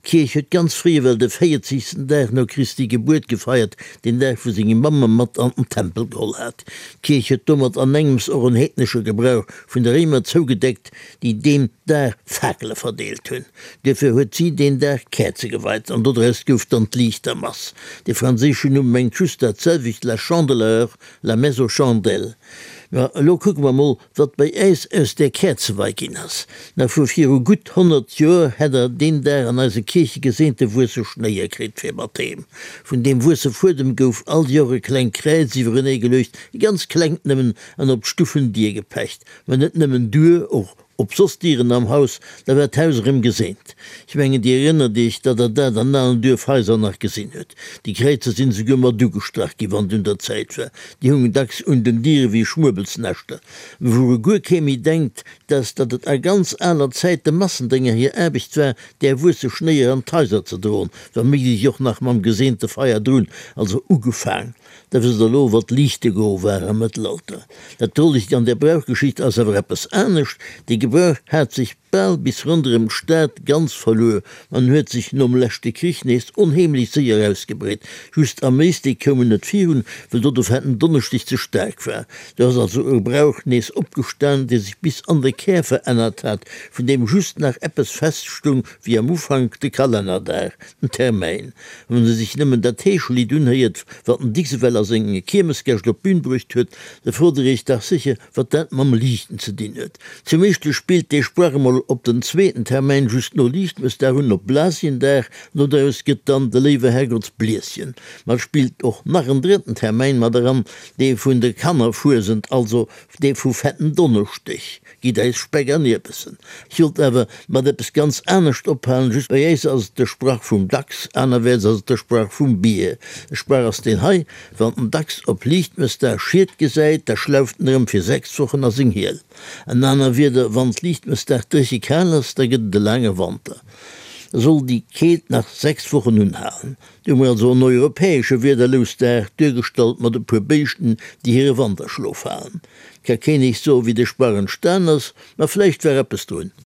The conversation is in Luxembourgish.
D'Kierch huet ganz fréi ewell de véierzegsten Dag no Christi Gebuert gefeiert, deen Dag wou seng Mamm e mat an den Tempel geholl hat. D'Kierch huet domat anengems och en heednesche Gebrauch vun de Réimer zougedeckt, déi deen Dag Fakele verdeelt hunn. Duerfir huet si deen Dag Käerze geweit an dodraus gouf dann d'Liichtermass. De franséischen Numm mengt just dat selwecht, la Chandeleur, la messe aux chandelles. Ma elo kucke mer mol, wat bei äis aus där Käerzewei ginn ass. Nach vu viru gutt 100 Joer hätt der deen Dag an eise Kierche geseente wuesse Schnéier kritt fir mat heem. Vun deem wuesse Fuedem gouf all Joer e klengt Kräiz iwwerenee geluecht, e ganz klengt nëmmen, an op d'Stuffendier gepecht. Mä net nëmmen duer, och op soss Dieren am Haus, da war d'Haus erëm geseent. Ech mengen, Dir erënnert Iech, datt Der dat an alen Duerfhaiser nach gesinn hutt. Déi Kräizer sinn esouguer mat ugestrach ginn, wann et un der Zäit war. Déi hungen dacks un den Diere wéi Schmuebelsnäschter. Mä wouru guer kee méi denkt, dat ass, datt et a ganz aler Zäit de Massendénger hir Aarbecht war, där wuesse Schnéier an d'Haiser ze droen, wa méiglech och nach mam geseente Feier drun, also ugefaang. Da wësst der elo, wat Liichtegoe war am Mëttelalter. Dat Drolegt an där Brauchgeschicht ass awer eppes anescht, Dee Gebrauch hat sech bal bis ronderëm d'Stad ganz verluer an huet sech nom leschte Krich nees onheemlech séier ausgebreet. Just am Éislek koum en net virun, well do de Fetten Donneschdeg ze staark war. Do ass also e Brauch nees opgestan, dee sech bis an de Kär verännert hat, vun deem just nach eppes feststung wéi am Ufank, de Kalennerdag. Den Termäin. Wann e sech nëmmen dat Heeschelidd unhéiert, wat den Dicks ewell a senge Kiermesgäscht op d'Bün bruecht huet, da frot der iech dach sécher, wat dat mam Liichten ze dinn huet. Zum éischte spillt dee Sprach emol op den zweeten Termäin just no Liichtmëssdag un, op Blasiendag, no doraus gëtt dann de léiwe Herrgottsblieschen. Ma et spillt och nach en drëtten Termäin mat eran, dee vun de Kannerfuesent, also dee vu Fetten Donneschdeg. Gitt äis Speck an Ierbessen. Ech wollt awer mat eppes ganz anescht ophalen, just bei äis ass et de Sprach vum Dachs, anerwäerts ass et de Sprach vum Bier. De Sprach ass deen hei, Wann den Dachs op Liichtmëssdag Schied gesäit, da schlauft en erëm fir 6 Wochen a seng Hiel. An aner Wieder, wann d'Liichtmëssdag dréche kal ass, da gëtt et e laange Wanter. Da soll déi Keelt nach 6 Wochen unhalen. Do hu mer also en europäesche Wiederlousdag, duergestallt mat e puer Béischten, déi hire Wanterschlof halen. Ka keen eech soen, wéi de Sprach entstan ass, ma vläicht war eppes drun.